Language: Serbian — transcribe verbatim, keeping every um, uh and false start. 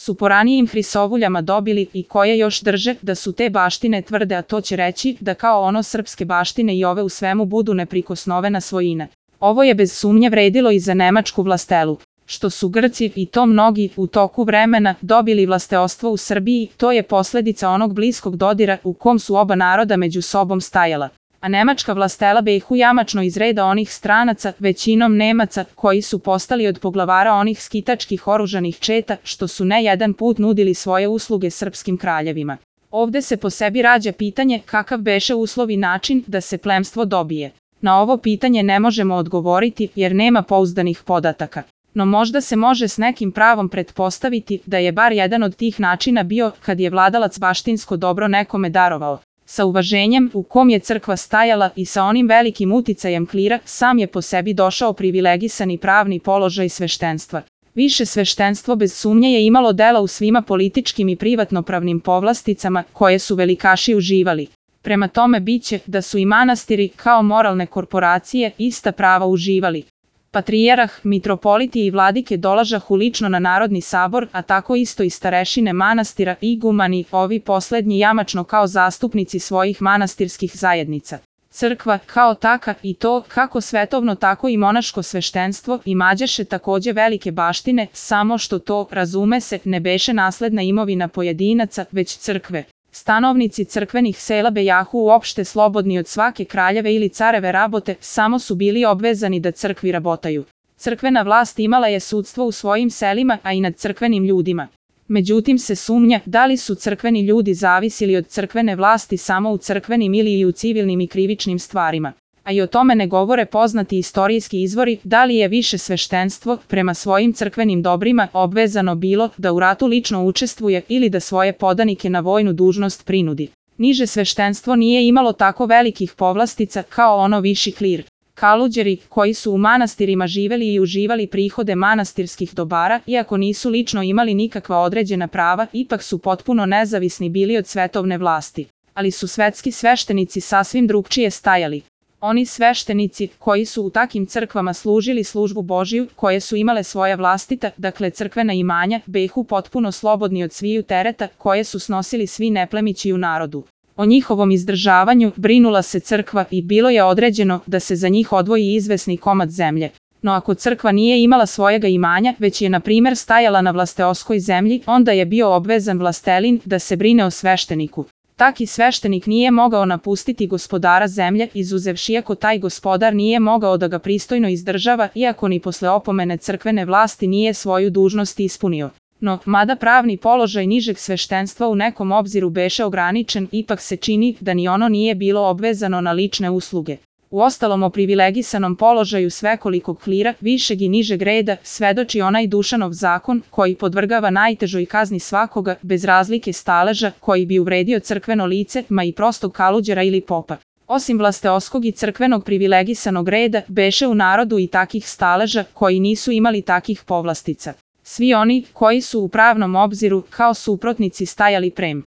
su po ranijim hrisovuljama dobili i koje još drže da su te baštine tvrde, a to će reći da kao ono srpske baštine i ove u svemu budu neprikosnovena svojina. Ovo je bez sumnje vredilo i za nemačku vlastelu. Što su Grci, i to mnogi, u toku vremena dobili vlasteostvo u Srbiji, to je posledica onog bliskog dodira u kom su oba naroda među sobom stajala. A nemačka vlastela behu jamačno iz reda onih stranaca, većinom Nemaca, koji su postali od poglavara onih skitačkih oružanih četa, što su ne jedan put nudili svoje usluge srpskim kraljevima. Ovde se po sebi rađa pitanje kakav beše uslov i način da se plemstvo dobije. Na ovo pitanje ne možemo odgovoriti jer nema pouzdanih podataka. No možda se može s nekim pravom pretpostaviti da je bar jedan od tih načina bio kad je vladalac baštinsko dobro nekome darovao. Sa uvaženjem u kom je crkva stajala i sa onim velikim uticajem klira, sam je po sebi došao privilegisani pravni položaj sveštenstva. Više sveštenstvo bez sumnje je imalo dela u svima političkim i privatnopravnim povlasticama koje su velikaši uživali. Prema tome biće da su i manastiri kao moralne korporacije ista prava uživali. Patrijarh, mitropoliti i vladike dolažahu lično na Narodni sabor, a tako isto i starešine manastira, igumani, ovi poslednji jamačno kao zastupnici svojih manastirskih zajednica. Crkva, kao taka, i to kako svetovno tako i monaško sveštenstvo, imađeše takođe velike baštine, samo što to, razume se, ne beše nasledna imovina pojedinaca, već crkve. Stanovnici crkvenih sela bejahu uopšte slobodni od svake kraljeve ili careve rabote, samo su bili obvezani da crkvi rabotaju. Crkvena vlast imala je sudstvo u svojim selima, a i nad crkvenim ljudima. Međutim se sumnja da li su crkveni ljudi zavisili od crkvene vlasti samo u crkvenim ili i u civilnim i krivičnim stvarima. A i o tome ne govore poznati istorijski izvori da li je više sveštenstvo prema svojim crkvenim dobrima obvezano bilo da u ratu lično učestvuje ili da svoje podanike na vojnu dužnost prinudi. Niže sveštenstvo nije imalo tako velikih povlastica kao ono viši klir. Kaluđeri, koji su u manastirima živeli i uživali prihode manastirskih dobara, iako nisu lično imali nikakva određena prava, ipak su potpuno nezavisni bili od svetovne vlasti. Ali su svetski sveštenici sasvim drugčije stajali. Oni sveštenici koji su u takim crkvama služili službu Božiju, koje su imale svoja vlastita, dakle crkvena imanja, behu potpuno slobodni od sviju tereta koje su snosili svi neplemići u narodu. O njihovom izdržavanju brinula se crkva i bilo je određeno da se za njih odvoji izvesni komad zemlje. No ako crkva nije imala svojega imanja, već je na primer stajala na vlasteoskoj zemlji, onda je bio obvezan vlastelin da se brine o svešteniku. Taki sveštenik nije mogao napustiti gospodara zemlje, izuzevši ako taj gospodar nije mogao da ga pristojno izdržava, iako ni posle opomene crkvene vlasti nije svoju dužnost ispunio. No, mada pravni položaj nižeg sveštenstva u nekom obziru beše ograničen, ipak se čini da ni ono nije bilo obvezano na lične usluge. Uostalom o privilegisanom položaju svekolikog klira, višeg i nižeg reda, svedoči onaj Dušanov zakon, koji podvrgava najtežoj kazni svakoga, bez razlike staleža, koji bi uvredio crkveno lice, ma i prostog kaluđera ili popa. Osim vlasteoskog i crkvenog privilegisanog reda, beše u narodu i takih staleža, koji nisu imali takih povlastica. Svi oni, koji su u pravnom obziru, kao suprotnici stajali prem